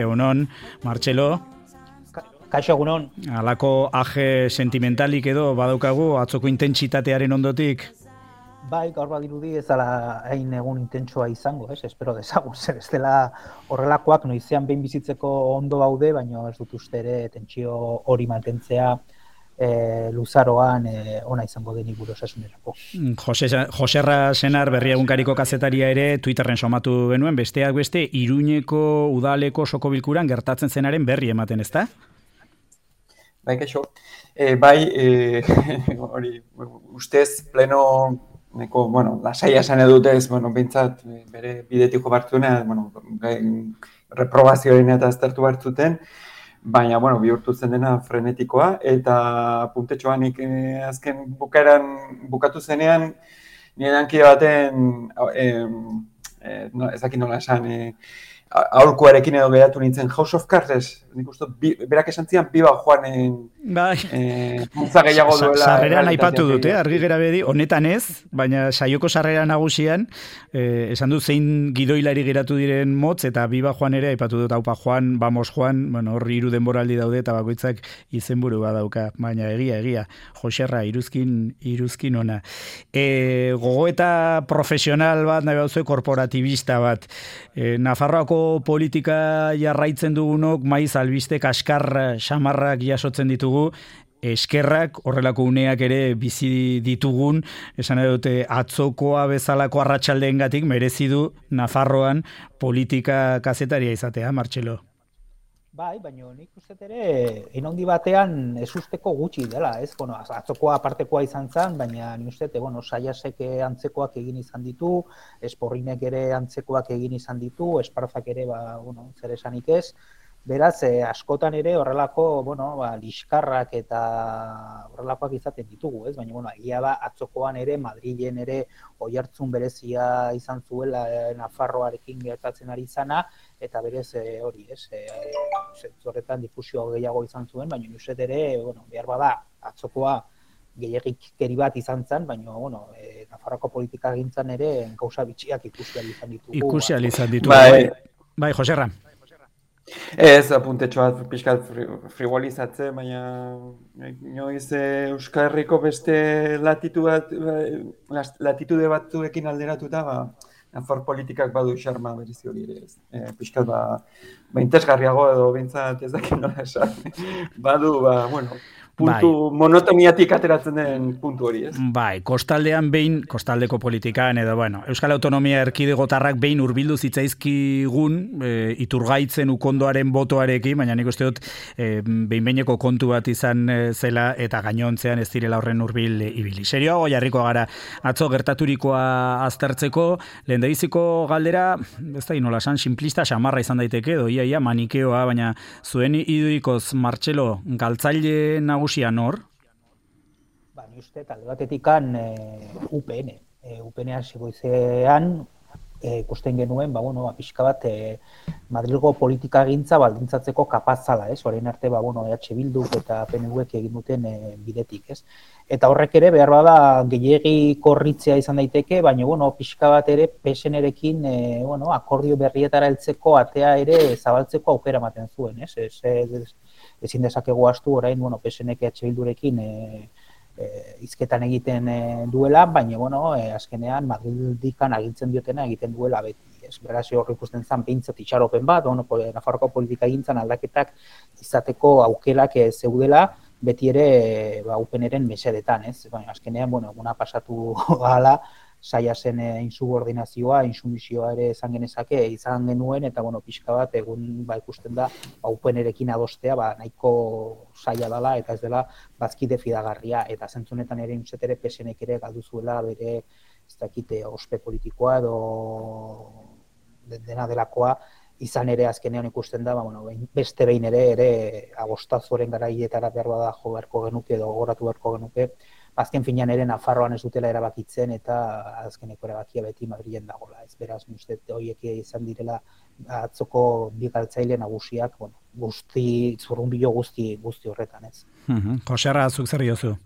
Egunon, Martxelo. Kaixo egunon. Halako aje sentimentalik edo badaukagu atzoko intentsitatearen ondotik? Bai, gaur badirudi ez dela hain egun intentsua izango, espero dezagun, zer ez dela horrelakoak noizean behin bizitzeko ondo daude, baina ez dut uste ere tentsio hori mantentzea luzaroan ona izango denik gure osasunerako. Joserra Senar berria egunkariko kazetaria ere Twitterren somatu genuen, besteak beste Iruñeko udaleko osoko bilkuran gertatzen zenaren berri ematen, ezta? Bai, kaixo. Hori, ustez, pleno, lasaia esan edutez, bintzat, bere bidetik jo bartzuena, reprobazioaren eta aztertu bartzuten, baina, bihurtu zen dena frenetikoa, eta puntetxoan azken bukatu zenean, nire dankide baten, ezakit nola esan, aholkuarekin edo geratu nintzen House of Cards, nik uste, berak esan zian, biba joanen multza gehiago duela. Sarreran aipatu dute, argi gera bedi, honetan ez, baina saioko sarrera nagusian, esan du zein gidoilari geratu diren motz, eta biba joan ere, aipatu dut, haupa joan, vamos joan, horri 3 denboraldi daude, eta bakoitzak izenburu badauka, baina egia, Joserra, iruzkin ona. Gogoeta profesional bat, nahi bauzue, korporatibista bat, Nafarroako politika jarraitzen dugunok, maiz albiste kaskar xamarrak jasotzen ditugu, eskerrak horrelako uneak ere bizi ditugun, esan dute atzokoa bezalako arratsaldeengatik merezi du Nafarroan politika kazetaria izatea, Martxelo. Bai, baina nik uste ere, handi batean ez usteko gutxi dela, ez? Atzokoa apartekoa izan zen, baina nik uste, Saiasek antzekoak egin izan ditu, Esporrinek ere antzekoak egin izan ditu, Esparzak ere, zer esanik ez. Beraz, askotan ere horrelako, liskarrak eta horrelakoak izaten ditugu, ez? Baina, egia da, atzokoan ere, Madrilen ere, oihartzun berezia izan zuela Nafarroarekin gertatzen ari zana, eta berez hori, ez? Horretan difusio gehiago izan zuen, baina uste ere, behar bada, atzokoa gehiagikeri bat izan zen, baina, Nafarroako politika gintzan ere, gauza bitxiak ikusi izan ditugu. Bai, Joserra. Ez, apuntetxo bat pixkat frivolizatzen, baina inoiz Euskal Herriko beste latitude batzuekin alderatuta, Nafar politikak badu xarma berezi hori ere ez. Pixkat interesgarriago edo bintzat ez dakit nola esan. Badu, puntu monotoniatik ateratzen den puntu hori, ez? Bai, kostaldeko politikan edo, Euskal Autonomia Erkidegotarrak behin hurbildu zitzaizkigun iturgaitzen ukondoaren botoarekin, baina nik uste dut behin-behineko kontu bat izan zela eta gainontzean ez direla horren hurbil ibili. Serioago jarriko gara atzo gertaturikoa aztertzeko, lehendabiziko galdera, ez da nola esan, simplista xamarra izan daiteke, edo ia manikeoa, baina zuen idurikoz, Martxelo, galtzaile nagusia nor? Ni uste, talde batetikan UPN. UPN hasigoizean ikusten genuen, pixka bat Madrilgo politika gintza baldintzatzeko kapazala, ez? Orain arte, EH Bilduk eta PNVek egin duten bidetik, ez? Eta horrek ere, behar bada, gehiegi korritzea izan daiteke, baina, pixka bat ere, PSN-erekin, akordio berrietara heltzeko atea ere zabaltzeko aukera ematen zuen, ez? Ezin dezakegu astu, orain, PSN-ek EH Bildurekin hizketan egiten duela, baina, azkenean, Madrildikan agintzen diotena egiten duela beti. Beraz, hor ikusten zen behintzat itxaropen bat, Nafarroako politika gintzan aldaketak izateko aukerak zeudela, beti ere UPN-eren mesedetan, ez? Baina, azkenean, eguna pasatu gala, Saiasen insubordinazioa, insumisioa ere izan genuen, eta pixka bat egun ikusten da UPN-erekin adostea nahiko zaila dela eta ez dela bazkide fidagarria, eta zentzunetan ere ere PSN-ek ere galdu zuela bere ez dakite ospe politikoa edo dena delakoa, izan ere azkenean ikusten da, beste behin ere agostazoren garaietara behar bada jo beharko genuke edo gogoratu beharko genuke, azken finean ere Nafarroan ez dutela erabakitzen eta azkeneko erabakia beti Madrilen dagoela. Ez beraz, uste horiek izan direla atzoko bi galtzaile nagusiak, zurrunbilo guzti horretan, ez. Joserra, zuk zer diozu?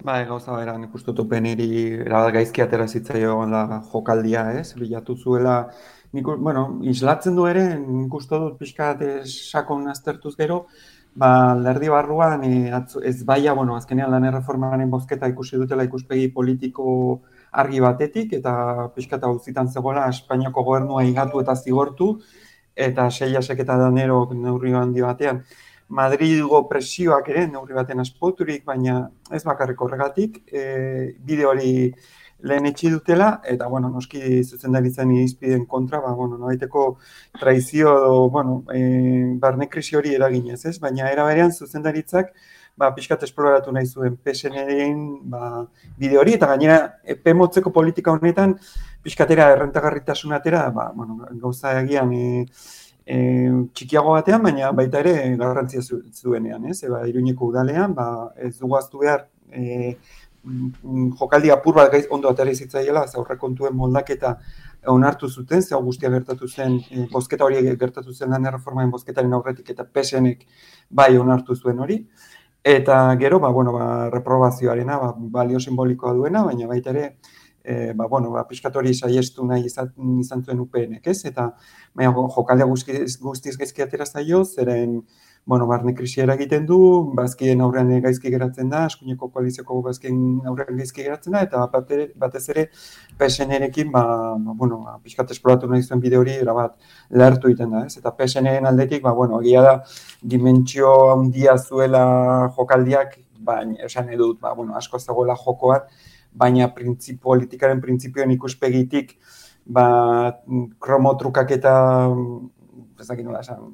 Gauza bera, nik uste UPN-eri erabat gaizki atera zitzaion jokaldia, ez? Bilatu zuela islatzen du ere, nik uste dut pixkat sakon aztertuz gero, alderdi barruan ez baia, azkenean lan erreformaren bozketa ikusi dutela ikuspegi politiko argi batetik, eta pixkat auzitan zegoela Espainiako gobernua higatu eta zigortu, eta Seiasek eta Danerok neurri handi batean. Madrilgo presioak ere neurri baten aspoturik, baina ez bakarrik horregatik, bide hori lehen etxi dutela, eta, noski zuzendaritzen irizpideen kontra, nobaiteko traizio edo, barne krisi hori eraginez, ez? Baina era berean zuzendaritzak, pixkat esploratu nahi zuen PSN-en bide hori, eta gainera, epe motzeko politika honetan, pixkatera errentagarritasunatera, gauza egian txikiago batean, baina baita ere garrantzia zuenean, ez? Iruñeko udalean, ez dugu aztu behar, jokaldi apur bat ondo atera izitzaiela, aurrekontuen moldaketa onartu zuten, ze guztia gertatu zen, bozketa hori gertatu zen lan erreformaren bozketaren aurretik eta PSN-ek bai onartu zuen hori. Eta gero, reprobazioarena, balio simbolikoa duena, baina baita ere, pixkat hori saiestu nahi izan zuen UPN-ek, ez? Eta jokaldea guztiz gaizki atera zaio, zeren barne krisiera egiten du, bazkien aurrean gaizki geratzen da, eskuineko koalizioko bazkien aurrean gaizki geratzen da, eta batez ere PSN-erekin, pixkat esploratu nahi zuen bide hori erabat lehertu egiten da, ez? Eta PSN-en aldetik, egia da, dimentsio handia zuela jokaldiak, baina esan edut, asko zegoela jokoan, baina politikaren printzipioen ikuspegitik, kromotrukak eta, ezakin nola esan,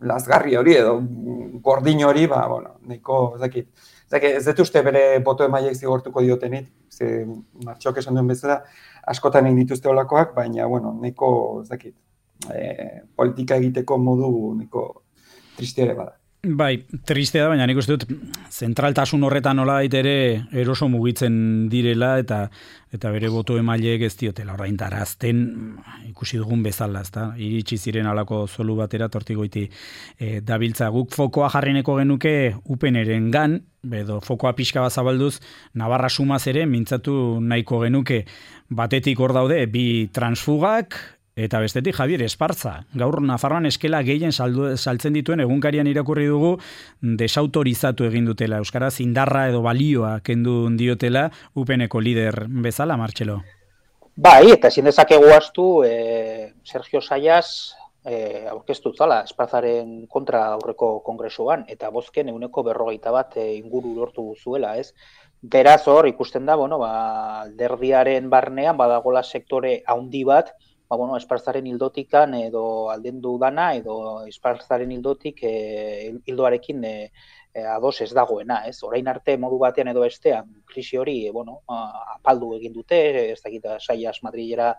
lazgarri hori edo gordin hori, nahiko, ez dut uste bere boto emaiek zigortuko diotenit, ze Martxok esan duen bezala, askotan egin dituzte olakoak, baina, nahiko, politika egiteko modu nahiko tristiere bada. Bai, triste da, baina nik uste dut zentraltasun horretan nola ere eroso mugitzen direla eta bere boto emaileek ez diotela ordaintarazten ikusi dugun bezala, ezta? Iritsi ziren halako zolu batera tortigoiti dabiltza. Guk fokoa jarrineko genuke UPNrengan, edo fokoa pixka bat zabalduz, Navarra sumaz ere mintzatu nahiko genuke. Batetik hor daude bi transfugak, eta bestetik Javier Esparza. Gaur Nafarroan eskela gehien saltzen dituen egunkarian irakurri dugu desautorizatu egin dutela. Euskaraz indarra edo balioa kendu diotela UPNeko lider bezala, Martxelo. Bai, eta ezin dezakegu astu Sergio Sayas aurkeztu zala Esparzaren kontra aurreko kongresuan, eta bozken 41% inguru lortu zuela, ez? Beraz hor ikusten da, alderdiaren barnean badagola sektore handi bat, Esparzaren hildotikan edo aldendu dana edo Esparzaren hildotik hildoarekin ados ez dagoena, ez? Orain arte modu batean edo bestean krisi hori, apaldu egin dute, ez dakit Sayas Madrilera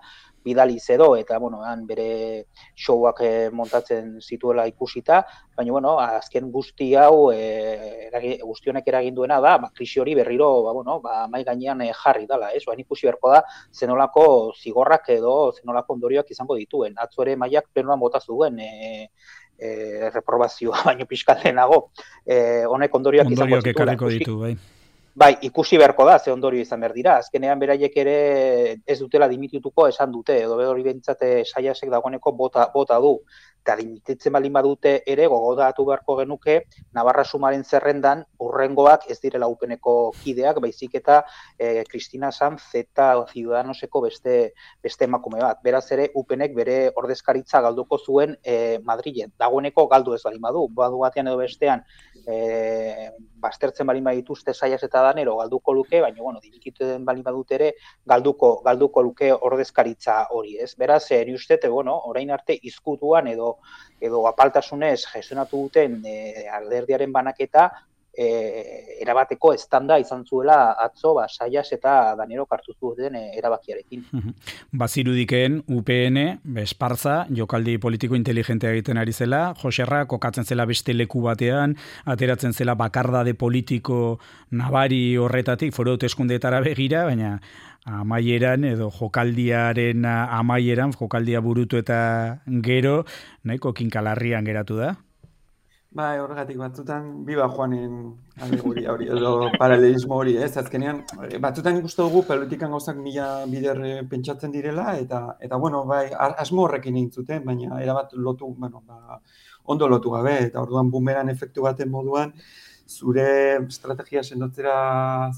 bidaliz edo, eta, han bere showak montatzen zituela ikusita, baina, azken guzti hau, guzti honek eragin duena da, krisi hori berriro, mai gainean jarri dela, ez? Baina ikusi beharko da, zenolako zigorrak edo zenolako ondorioak izango dituen. Atzo ere maiak plenoan bota zuen, reprobazioa baino pixkaldenago, honek ondorioak izango zituen. Ekarriko ditu, bai. Bai, ikusi beharko da, ze ondorio izan behar dira. Azkenean beraiek ere ez dutela dimitituko esan dute, edo hori bentsate Sayasek dagoeneko bota du. Eta dimititzen baldin badute ere gogodatu beharko genuke Navarra sumaren zerrendan urrengoak ez direla UPNeko kideak, baizik eta Cristina Sanz eta Ciudadanoseko beste emakume bat. Beraz ere UPNek bere ordezkaritza galduko zuen Madrilen. Dagoeneko galdu ez baldin badu batean edo bestean baztertzen baldin badituzte Sayas eta Danero galduko luke, baina dimititen baldin badute ere galduko luke ordezkaritza hori, ez? Beraz, ni uste, orain arte izkutuan edo apaltasunez gestionatu duten alderdiaren banaketa erabateko estanda izan zuela atzo Sayas eta Danero hartu zuten erabakiarekin. Bazirudikeen UPN, Esparza, jokaldi politiko inteligentea egiten ari zela, Joserra kokatzen zela beste leku batean, ateratzen zela bakardade politiko nabari horretatik, foru hauteskundeetara begira, baina amaieran edo jokaldiaren amaieran, jokaldia burutu eta gero, nahiko kinkalarrian geratu da? Bai, horregatik batzutan biba joanen alegoria hori, edo paralelismo hori, ez? Azkenean, batzutan ikusten dugu politikan gauzak mila bider pentsatzen direla, eta bueno, bai, asmo horrekin egin zuten, baina erabat lotu, bueno, ondo lotu gabe, eta orduan bumeran efektu baten moduan, zure estrategia sendotzera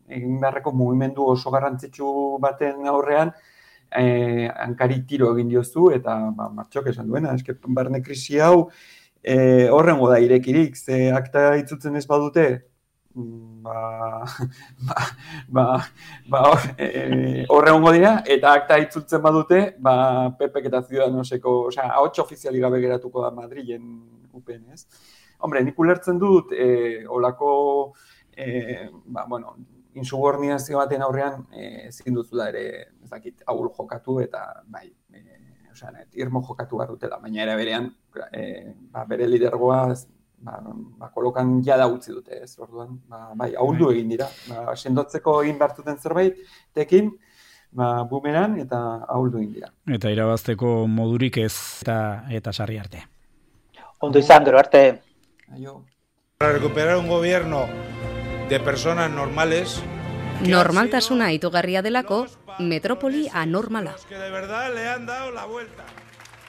egin beharreko mugimendu oso garrantzitsu baten aurrean, hankari tiro egin diozu, eta Martxok esan duena, eske barne krisi hau, horrengo da irekirik, ze akta itzutzen ez badute, horrengo dira, eta akta itzutzen badute, PPek eta Ciudadanoseko, osea, ahots ofiziali gabe geratuko da Madrilen UPN, ez? Hombre, nik ulertzen dut, olako, insubordinazio baten aurrean, ezin duzu da ere, ez dakit, ahul jokatu, eta bai, irmo jokatu behar dutela, baina era berean, bere lidergoa kolokan jada utzi dute, ez, orduan, bai, ahuldu egin dira, sendotzeko egin behartuten zerbait, tekin, bumeran, eta ahuldu egin dira. Eta irabazteko modurik ez, eta sarri arte. Ondo izan, gero arte. Aio. Para recuperar un gobierno de personas normales, normaltasuna itugarria delako, metropoli anormala. Que de verdad le han dado la vuelta.